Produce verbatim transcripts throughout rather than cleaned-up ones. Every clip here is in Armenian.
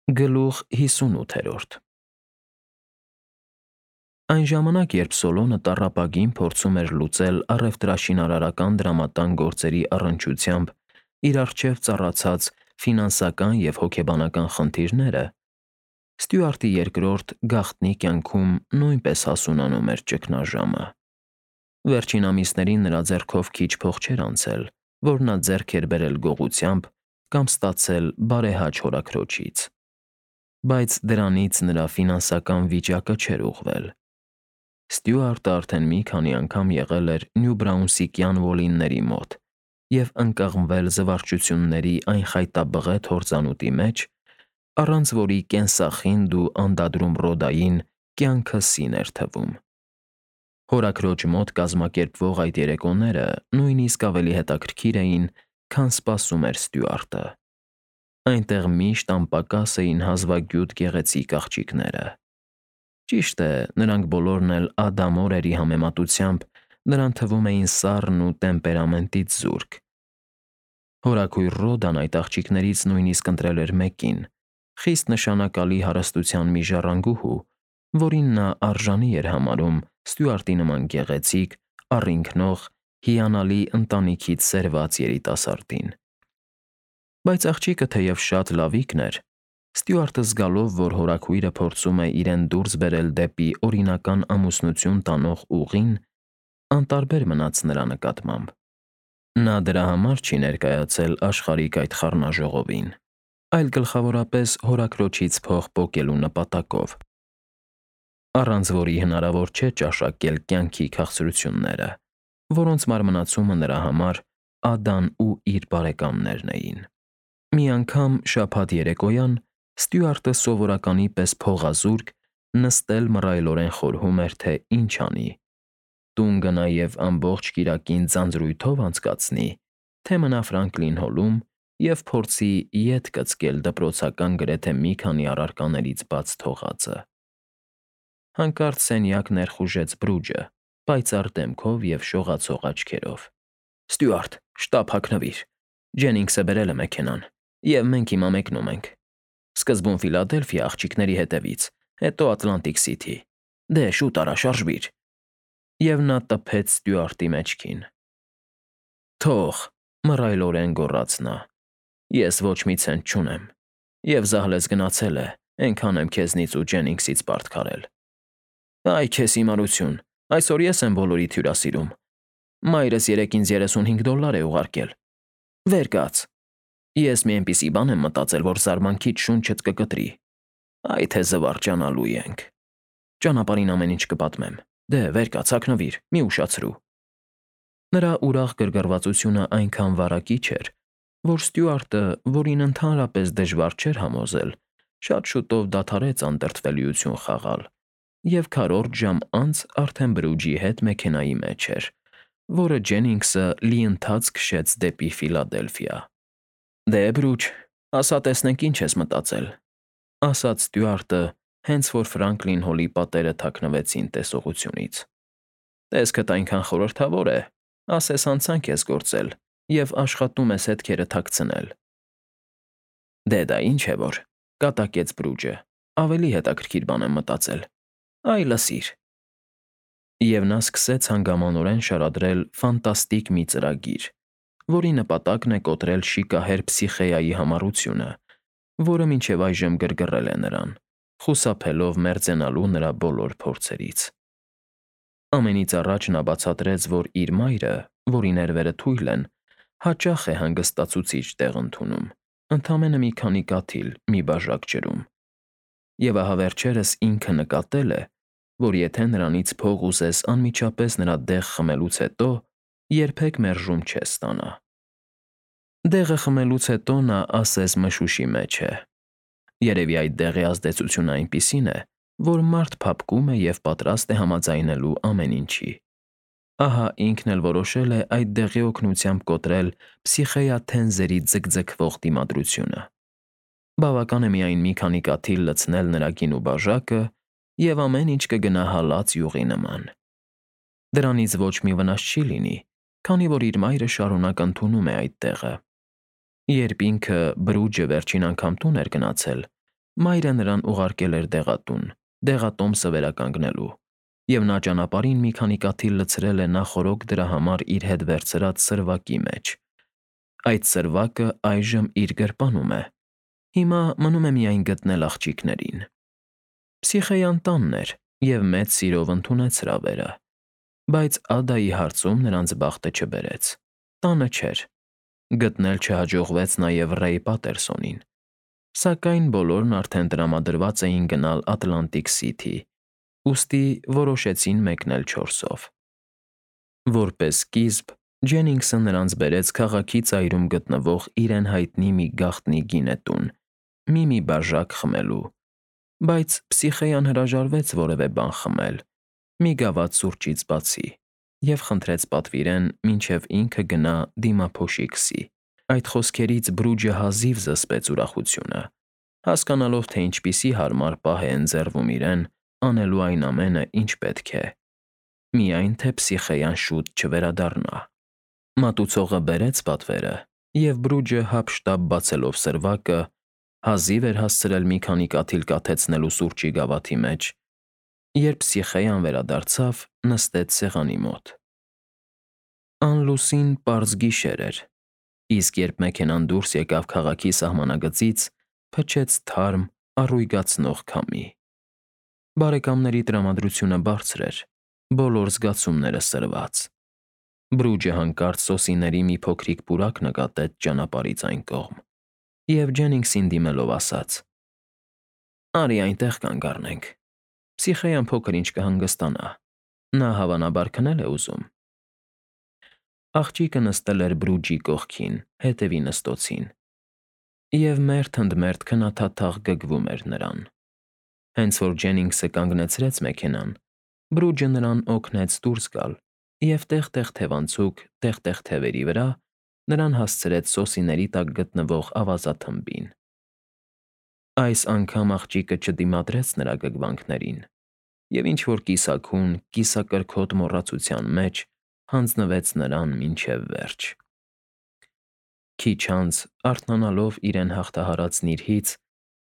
Գլուխ հիսունութերորդ Այն ժամանակ, երբ Սոլոնը տառապագին փորձում էր լուծել առևտրաշինարարական դրամատան գործերի առնչությամբ իր առջև ծառացած ֆինանսական և հոգեբանական խնդիրները, Ստյուարտի երկրորդ գաղտնի կյանքում նույնպես հասունանում էր ճգնաժամը։ Վերջին ամիսներին նրա ձեռքով քիչ փող չէր անցել, որ նա ձեռք էր բերել գողությամբ կամ ստացել բարեհաճ հորաքրոջից, բայց դրանից նրա ֆինանսական վիճակը չէր ուղղվել։ Ստյուարտը արդեն մի քանի անգամ եղել էր Նյուբրաունսիկյան Ուոլլինների մոտ և ընկղմվել զվարճությունների այն խայտաբղետ հորձանուտի մեջ, առանց որի կենսախինդ ու անդադրում Ռոդային կյանքը սին էր թվում։ Հորաքրոջ մոտ կազմակերպվող այդ երեկոները նույնիսկ ավելի հետաքրքիր էին, քան սպասում էր Ստյուարտը։ Այնտեղ միշտ անպակաս էին հազվագյուտ գեղեցիկ աղջիկները։ Ճիշտ է, նրանք բոլորն էլ ադամորերի համեմատությամբ նրան թվում էին սառն ու տեմպերամենտից զուրկ։ Հորաքույր Ռոդան այդ աղջիկներից նույնիսկ ընտրել էր մեկին՝ խիստ նշանակալի հարստության մի ժառանգուհու, որին նա արժանի էր համարում Ստյուարտի նման գեղեցիկ, առինքնող, հիանալի ընտանիքից սերված երիտասարդին։ Բայց աղջիկը թեև շատ լավիկն էր, Ստյուարտը զգալով, որ հորաքույրը փորձում է իրեն դուրս բերել դեպի օրինական ամուսնություն տանող ուղին, անտարբեր մնաց նրա նկատմամբ։ Նա դրա համար չի ներկայացել աշխարհիկ այդ խառնաժողովին, այլ գլխավորապես հորաքրոջից փող պոկելու նպատակով, առանց որի հնարավոր չէ ճաշակել կյանքի քաղցրությունները, որոնց մարմնացումը նրա համար Ադան ու իր բարեկամներն էին։ Մի անգամ շաբաթ երեկոյան Ստյուարտը սովորականի պես փողազուրկ նստել մռայլորեն խորհում էր, թե ինչ անի՝ տուն գնա և ամբողջ կիրակին ձանձրույթով անցկացնի, թե մնա Ֆրանկլին Հոլում և փորձի ետ կծկել դպրոցական գրեթե մի քանի առարկաներից բաց թողածը։ Հանկարծ սենյակ ներխուժեց Բրուջը, պայծառ դեմքով և շողացող աչքերով։ ֊ Ստյուարտ, շտապ հագնվիր, Ջենինգսը բերել է մեքենան, և մենք հիմա մեկնում ենք։ Սկզբում Ֆիլադելֆիա աղջիկների հետևից, հետո Ատլանտիկ Սիթի։ Դե, շուտ արա, շարժվիր։ Եվ նա տփեց Ստյուարտի մեջքին։ Թող, մռայլորեն գոռաց նա, ես ոչ մի ցենտ չունեմ, և զահլես գնացել է, էնքան եմ քեզնից ու Ջենինգսից պարտք արել։ Այ քեզ հիմարություն, այսօր ես եմ բոլորիդ հյուրասիրում։ Մայրս երեկ ինձ երեսունհինգ դոլար է ուղարկել։ Վեր կաց։ Ես մի էնպիսի բան եմ մտածել, որ զարմանքից շունչդ կկտրի։ Այ թե զվարճանալու ենք։ Ճանապարհին ամեն ինչ կպատմեմ։ Դե, վեր կաց, հագնվիր, մի ուշացրու։ Նրա ուրախ գրգռվածությունը այնքան վարակիչ էր, որ Ստյուարտը, որին ընդհանրապես դժվար չէր համոզել, շատ շուտով դադարեց անտրտվելիություն խաղալ և քառորդ ժամ անց արդեն Բրուջի հետ մեքենայի մեջ էր, որը Ջենինգսը լիընթաց քշեց դեպի Ֆիլադելֆիա։ Դե, Բրուջ, ասա տեսնենք ինչ ես մտածել, ֊ ասաց Ստյուարտը, հենց որ Ֆրանկլին Հոլի պատերը թաքնվեցին տեսողությունից։ Տեսքդ այնքան խորհրդավոր է, ասես հանցանք ես գործել և աշխատում ես հետքերը թաքցնել։ Դե դա ինչ է որ, ֊ կատակեց Բրուջը, ավելի հետաքրքիր բան եմ մտածել։ Այ լսիր։ Եվ նա սկսեց հանգամանորեն շարադրել ֆանտաստիկ մի ծրագիր, որի նպատակն է կոտրել շիկահեր Փսիխեայի համառությունը, որը մինչև այժմ գրգռել է նրան, խուսափելով մերձենալու նրա բոլոր փորձերից։ Ամենից առաջ նա բացատրեց, որ իր մայրը, որի ներվերը թույլ են, հաճախ է հանգստացուցիչ տեղ ընդունում, ընդամենը մի քանի կաթիլ մի բաժակ ջրում։ Եվ ահա վերջերս ինքը նկատել է, որ եթե նրանից փող ուզես անմիջապես նրա դեղ խմելուց հետո, երբեք մերժում չես ստանա։ Դեղը խմելուց հետո նա ասես մշուշի մեջ է։ Երևի այդ դեղի ազդեցությունն այնպիսին է, որ մարդ փափկում է և պատրաստ է համաձայնելու ամեն ինչի։ Ահա ինքն էլ որոշել է այդ դեղի օգնությամբ կոտրել Փսիխեյաթենզերի ձգձգվող դիմադրությունը։ Բավական է միայն մի քանի կաթիլ լցնել նրա գինու բաժակը, և ամեն ինչ կգնա հալած յուղի նման։ Դրանից ոչ մի վնաս չի լինի, քանի որ իր մայրը շարունակ ընդունում է այդ դեղը։ Երբ ինքը՝ Բրուջը, վերջին անգամ տուն էր գնացել, Մայրը նրան ուղարկել էր դեղատուն, դեղատոմսը վերականգնելու, և նա ճանապարհին մի քանի կաթիլ լցրել է նախօրոք դրա համար իր հետ վերցրած սրվակի մեջ։ Այդ սրվակը այժմ իր գրպանում է։ Հիմա մնում է միայն գտնել աղջիկներին։ Փսիխեյան տանն էր և մեծ սիրով ընդունեց հրավերը, բայց Ադայի հարցում նրանց բախտը չբերեց։ Տանը չէր։ Գտնել չհաջողվեց նաև Ռեյ Պատերսոնին, սակայն բոլորն արդեն տրամադրված էին գնալ Ատլանտիկ Սիթի, ուստի որոշեցին մեկնել չորսով։ Որպես սկիզբ Ջենինգսը նրանց բերեց քաղաքի ծայրում գտնվող իրեն հայտնի մի գաղտնի գինետուն, մի-մի բաժակ խմելու, բայց Փսիխեյան հրաժարվեց որևէ բան խմել, մի գավաթ սուրճից բացի, և խնդրեց պատվիրեն, մինչև ինքը գնա դիմափոշի քսի։ Այդ խոսքերից Բրուջը հազիվ զսպեց ուրախությունը, հասկանալով, թե ինչպիսի հարմար պահ է ընձեռվում իրեն անելու այն ամենը, ինչ պետք է, միայն թե Փսիխեյան շուտ չվերադառնա։ Մատուցողը բերեց պատվերը, և Բրուջը հափշտապ բացելով սրվակը, հազիվ էր հասցրել մի քանի կաթիլ կաթեցնելու սուրճի գավաթի մեջ, երբ Փսիխեան վերադարձավ, նստեց սեղանի մոտ։ Անլուսին պարզ գիշեր էր, իսկ երբ մեքենան դուրս եկավ քաղաքի սահմանագծից, փչեց թարմ, առույգացնող քամի։ Բարեկամների տրամադրությունը բարձր էր, բոլոր զգացումները սրված։ Բրուջը հանկարծ սոսիների մի փոքրիկ պուրակ նկատեց ճանապարհից այն կողմ, և Ջենինգսին դիմելով ասաց. «Արի այնտեղ կանգ առնենք։ Փսիխեան փոքր-ինչ կհանգստանա, նա հավանաբար քնել է ուզում»։ Աղջիկը նստել էր Բրուջի կողքին, հետևի նստոցին, և մերթ ընդ մերթ քնաթաթախ գգվում էր նրան։ Հենց որ Ջենինգսը կանգնեցրեց մեքենան, Բրուջը նրան օգնեց դուրս գալ և տեղ֊տեղ թևանցուկ, տեղ֊տեղ թևերի վրա նրան հասցրեց սոսիների տակ գտնվող ավազաթմբին։ Այս անգամ աղջիկը չդիմադրեց նրա գգվանքներին և ինչ֊որ կիսաքուն, կիսակրքոտ մոռացության մեջ հանձնվեց նրան մինչև վերջ։ Քիչ անց, արթնանալով իրեն հաղթահարած նիրհից,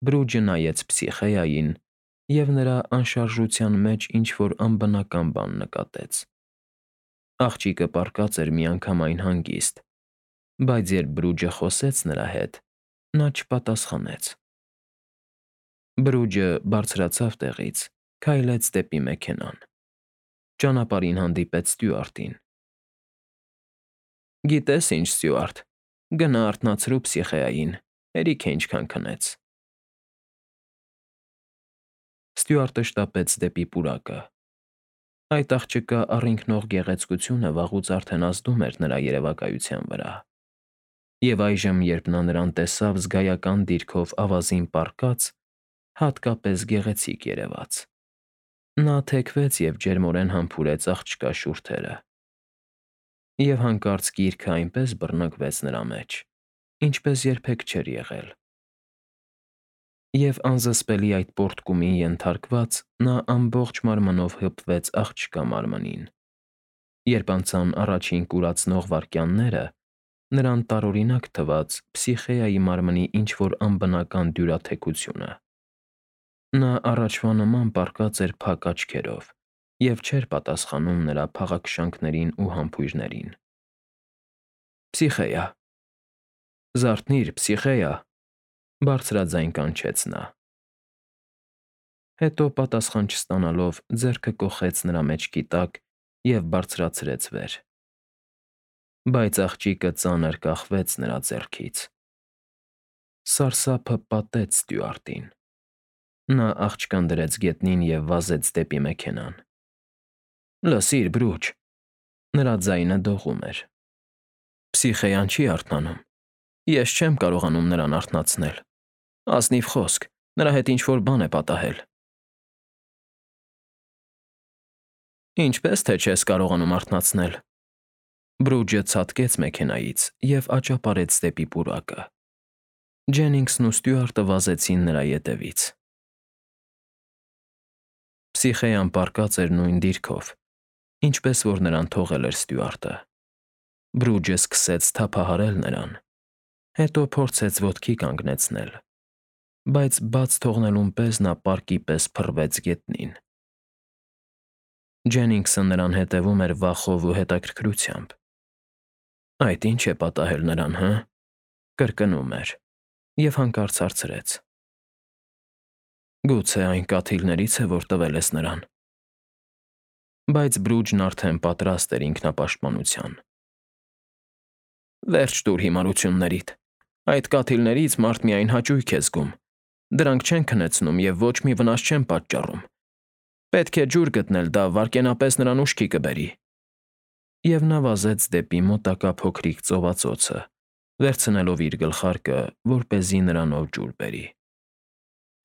Բրուջը նայեց Փսիխեային և նրա անշարժության մեջ ինչ֊որ անբնական բան նկատեց։ Աղջիկը պառկած էր միանգամայն հանգիստ, բայց երբ Բրուջը խոսեց նրա հետ, նա չպատասխանեց։ Բրուջը բարձրացավ տեղից, քայլեց դեպի մեքենան։ Ճանապարհին հանդիպեց ստյուարտին։ «Գիտե՞ս ինչ, Ստյուարտ, գնա արթնացրու Փսիխեային, հերիք է ինչքան քնեց»։ Ստյուարտը շտապեց դեպի պուրակը։ Այդ աղջկա առինքնող գեղեցկությունը վաղուց արդեն ազդում էր նրա երևակայության վրա, և այժմ, երբ նա նրան տեսավ զգայական դիրքով ավազին պառկած, հատկապես գեղեցիկ երևաց։ Նա թեքվեց և ջերմորեն համբուրեց աղջկա շուրթերը, և հանկարծ գիրքը այնպես բռնկվեց նրա մեջ, ինչպես երբեք չէր եղել։ Եվ անզսպելի այդ պոռթկումին ենթարկված՝ նա ամբողջ մարմնով հպվեց աղջկա մարմնին։ Երբ անցան առաջին կուրացնող վայրկյանները, նրան տարօրինակ թվաց Փսիխեայի մարմնի ինչ֊որ անբնական դյուրաթեքությունը։ Նա առաջվա նման պառկած էր փակ աչքերով և չէր պատասխանում նրա փաղաքշանքներին ու համբույրներին։ «Փսիխեա… Զարթնի՛ր, Փսիխեա…»։ Բարձրաձայն կանչեց նա։ Հետո պատասխան չստանալով, ձեռքը կոխեց նրա մեջքի տակ և բարձրացրեց վեր։ Բայց աղջիկը ծանր կախվեց նրա ձեռքից։ Սարսափը պատեց ստյուարտին։ Նա աղջկան դրեց գետնին և վազեց դեպի մեքենան։ «Լսիր, Բրուջ…»։ Նրա ձայնը դողում էր։ «Փսիխեան չի արթնանում։ Ես չեմ կարողանում նրան արթնացնել։ Ազնիվ խոսք, նրա հետ ինչ֊որ բան է պատահել»։ «Ինչպե՞ս թե չես կարողանում արթնացնել»։ Բրուջը ցատկեց մեքենայից և աճապարեց դեպի պուրակը։ Ջենինգսն ու Ստյուարտը վազեցին նրա ետևից։ Փսիխեան պառկած էր նույն դիրքով, ինչպես որ նրան թողել էր Ստյուարտը։ Բրուջը սկսեց թափահարել նրան, հետո փորձեց ոտքի կանգնեցնել, բայց բաց թողնելուն պես նա պարկի պես փռվեց գետնին։ Ջենինգսը նրան հետևում էր վախով ու հետաքրքրությամբ։ Այդ ի՞նչ է պատահել նրան, հը՞, կրկնում էր և հանկարծ հարցրեց. Գուցե այն կաթիլներից է, որ տվել ես նրան։ Բայց Բրուջն արդեն պատրաստ էր ինքնապաշտպանության։ Վերջ տուր հիմարություններիդ։ Այդ կաթիլներից մարդ միայն հաճույք է զգում։ Դրանք չեն քնեցնում և ոչ մի վնաս չեն պատճառում։ Պետք է ջուր գտնել, դա վայրկենապես նրան ուշքի կբերի։ Եվ նա վազեց դեպի մոտակա փոքրիկ ծովածոցը, վերցնելով իր գլխարկը, որպեսզի նրանով ջուր բերի։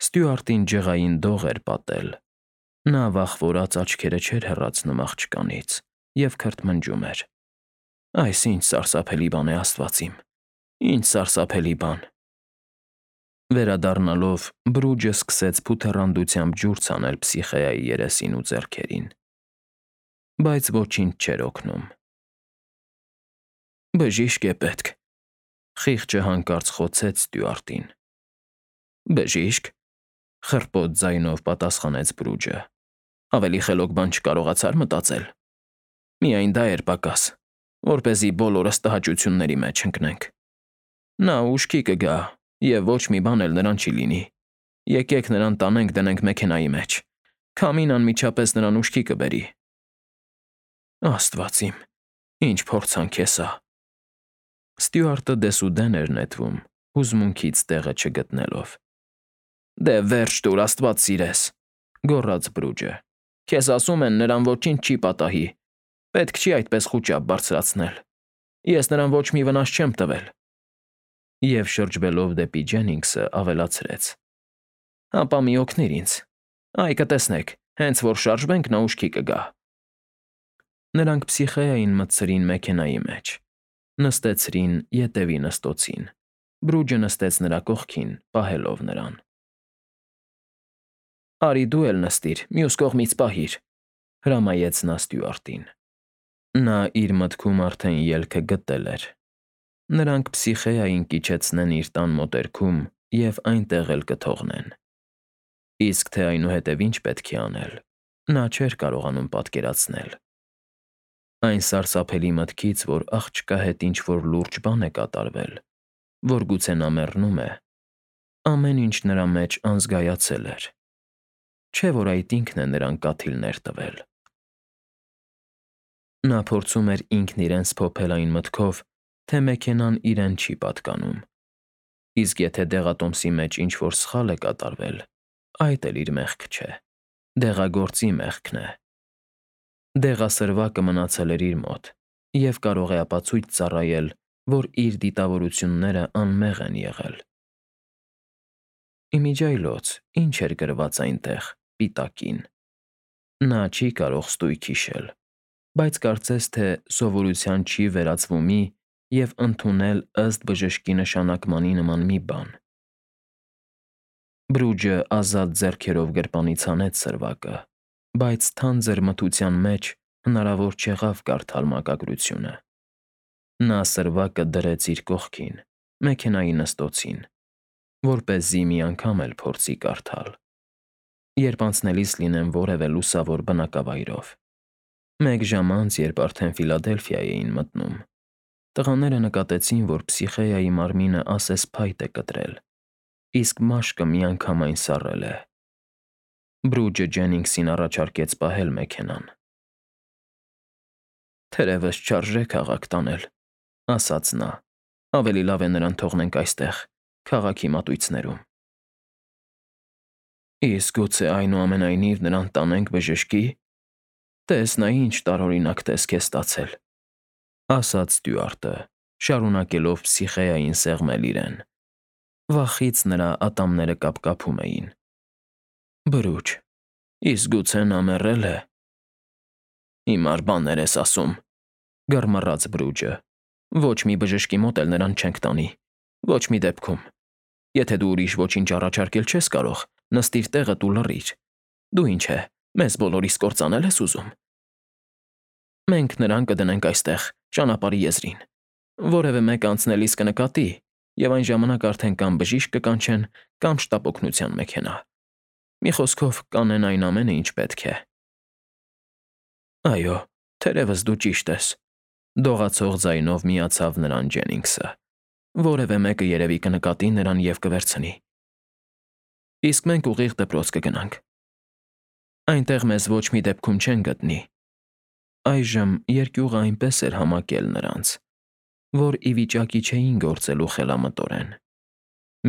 Ստյուարտին ջղային դող էր պատել։ Նա վախվորած աչքերը չէր հեռացնում աղջկանից և քրթմնջում էր. Այս ի՜նչ սարսափելի բան է, աստված իմ, ի՜նչ սարսափելի բան։ Վերադառնալով Բրուջը սկսեց փութեռանդությամբ ջուր ցանել Պսիխեայի երեսին ու ձեռքերին։ Բայց ոչինչ չէր օգնում։ Բժիշկ է պետք, խիղճը հանկարծ խոցեց Ստյուարտին։ Բժիշկ, խռպոտ ձայնով պատասխանեց Բրուջը։ Ավելի խելոք բան չկարողացար մտածել։ Միայն դա էր պակաս, որպեսզի բոլորս տհաճությունների մեջ ընկնենք։ Նա ուշքի կգա, և ոչ մի բան էլ նրան չի լինի։ Եկեք նրան տանենք դնենք մեքենայի մեջ։ Քամին անմիջապես նրան ուշքի կբերի։ Աստված իմ, ինչ փորձանք է սա։ Ստյուարտը դեսուդեն էր նետվում, հուզմունքից տեղը չգտնելով։ Դե վերջ տուր, աստված սիրես, գոռաց Բրուջը։ Քեզ ասում են, նրան ոչինչ չի պատահի։ Պետք չի այդպես խուճապ բարձրացնել։ Ես նրան ոչ մի վնաս չեմ տվել։ Եվ շրջվելով դեպի Ջենինգսը ավելացրեց. Հապա մի օգնիր ինձ։ Այ կտեսնեք, հենց որ շարժվենք, նա ուշքի կգա։ Նրանք Պսիխեային մտցրին մեքենայի մեջ, նստեցրին ետևի նստոցին։ Բրուջը նստեց նրա կողքին, պահելով նրան։ Արի դու էլ նստիր, մյուս կողմից պահիր, հրամայեց նա Ստյուարտին։ Նա իր մտքում արդեն ելքը գտել էր։ Նրանք Պսիխեային կիջեցնեն իր տան մոտերքում և այնտեղ էլ կթողնեն։ Իսկ թե այնուհետև ինչ պետք է անել, նա չէր կարողանում պատկերացնել։ Այն սարսափելի մտքից, որ աղջկա հետ ինչ-որ լուրջ բան է կատարվել, որ գուցե նա մեռնում է, ամեն ինչ նրա մեջ անզգայացել էր։ Չէ՞ որ այդ ինքն է նրան կաթիլներ տվել։ Նա փորձում էր ինքն իրեն սփոփել այն մտքով, թե մեքենան իրեն չի պատկանում։ Իսկ եթե դեղատոմսի մեջ ինչ-որ սխալ է կատարվել, այդ էլ իր մեղքը չէ, դեղագործի մեղքն է։ Դեղասրվակը մնացել էր իր մոտ և կարող է ապացույց ծառայել, որ իր դիտավորությունները անմեղ են եղել։ Իմիջիայլոց, ինչ էր գրված այնտեղ, պիտակին։ Նա չի կարող ստույգ հիշել, բայց կարծես թե սովորության չի վերածվումի և ընդունել ըստ բժշկի նշանակմանի նման մի բան։ Բրուջը ազատ ձեռքերով գրպանից հանեց սրվակը, բայց թանձր մթության մեջ հնարավոր չեղավ կարդալ մակագրությունը։ Նա սրվակը դրեց իր կողքին, մեքենայի նստոցին, որպեսզի մի անգամ էլ փորձի կարդալ, երբ անցնելիս լինեն որևէ լուսավոր բնակավայրով։ Մեկ ժամ անց, երբ արդեն Ֆիլադելֆիա էին մտնում, տղաները նկատեցին, որ Պսիխեայի մարմինը ասես փայտ է կտրել, իսկ մաշկը միանգամայն սառել է։ Բրուջը Ջենինգսին առաջարկեց պահել մեքենան։ Թերևս չարժե քաղաք տանել, ասաց նա, ավելի լավ է նրան թողնենք այստեղ, քաղաքի մատույցներում։ Իսկ գուցե այնուամենայնիվ նրան տանենք բժշկի։ Տես նա ինչ տարօրինակ տեսք է ստացել, ասաց Ստյուարտը, շարունակելով Պսիխեային սեղմել իրեն։ Վախից նրա ատամները կապկապում էին։ Բրուջ, իսկ գուցե նա մեռել է։ Հիմար բաներ ես ասում, գռմռաց Բրուջը։ Ոչ մի բժշկի մոտ էլ նրան չենք տանի, ոչ մի դեպքում։ Եթե դու ուրիշ ոչինչ առաջարկել չես կարող, նստիր տեղդ ու լռիր։ Դու ինչ է, մեզ բոլորիս կործանել ես ուզում։ Մենք նրան կդնենք այստեղ, ճանապարհի եզրին։ Որևէ մեկ անցնելիս կնկատի, և այն ժամանակ արդեն կամ բժիշկ կկանչեն, կամ շտապօգնության մեքենա։ Մի խոսքով, կանեն այն ամենը, ինչ պետք է։ Այո, թերևս դու ճիշտ ես,֊ դողացող ձայնով միացավ նրան Ջենինգսը։ Որևէ մեկը երևի կնկատի նրան և կվերցնի։ Իսկ մենք ուղիղ դպրոց կգնանք։ Այնտեղ մեզ ոչ մի դեպքում չեն գտնի։ Այժմ երկյուղը այնպես էր համակել նրանց, որ ի վիճակի չէին գործելու խելամտորեն։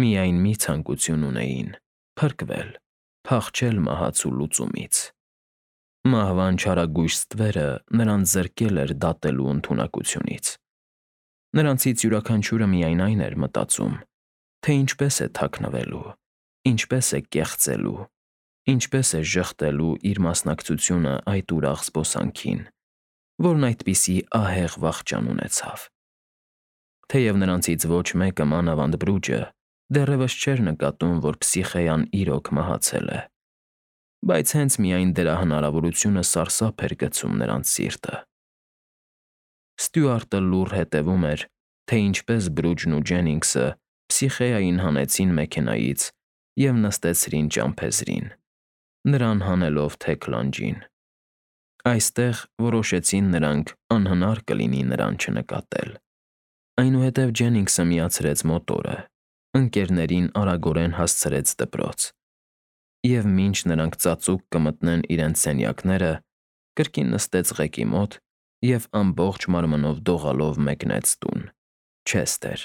Միայն մի ցանկություն ունեին՝ փրկվել, փախչել մահացու լուծումից։ Մահվան չարագույժ ստվերը նրանց զրկել էր դատելու ընդունակությունից։ Նրանցից յուրաքանչյուրը միայն այն էր մտածում, թե ինչպես է թաքնվելու, ինչպես է կեղծելու, ինչպես է ժխտելու իր մասնակցությունը այդ ուրախ զբոսանքին, որն այդպիսի ահեղ վախճան ունեցավ։ Թեև նրանցից ոչ մեկը, մանավանդ Բրուջը, դեռևս չէր նկատում, որ Փսիխեան իրոք մահացել է, բայց հենց միայն դրա հնարավորությունը սարսափ էր գցում նրանց սիրտը։ Ստյուարտը լուռ հետևում էր, թե ինչպես Բրուջն ու Ջենինգսը Փսիխեային հանեցին մեքենայից և նստեցրին ճամփեզրին, նրան հանելով թեք լանջին։ Այստեղ որոշեցին նրանք անհնար կլինի նրան չնկատել։ Այնուհետև Ջենինգսը միացրեց մոտորը, ընկերներին արագորեն հասցրեց դպրոց, և մինչ նրանք ծածուկ կմտնեն իրենց սենյակները, կրկին նստեց ղեկի մոտ և ամբողջ մարմնով դողալով մեկնեց տուն՝ Չեսթեր։